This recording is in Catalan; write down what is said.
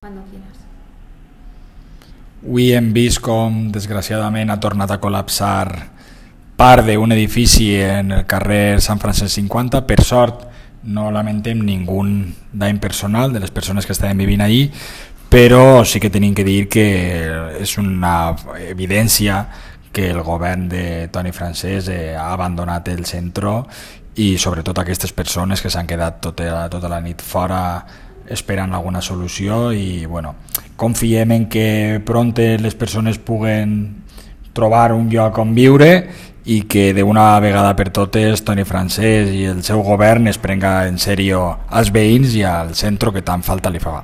Cuando quieras. Avui hem vist com, desgraciadament, ha tornat a col·lapsar part d'un edifici en el carrer Sant Francesc 50. Per sort, no lamentem ningú dany personal de les persones que estaven vivint allí, però sí que tenim que dir que és una evidència que el govern de Toni Francesc ha abandonat el centre i sobretot aquestes persones que s'han quedat tota la nit fora esperant alguna solució i bueno, confiem en que pront les persones puguen trobar un lloc on viure i que d'una vegada per totes Toni Francesc i el seu govern es prenga en sèrio als veïns i al centre que tant falta li fa.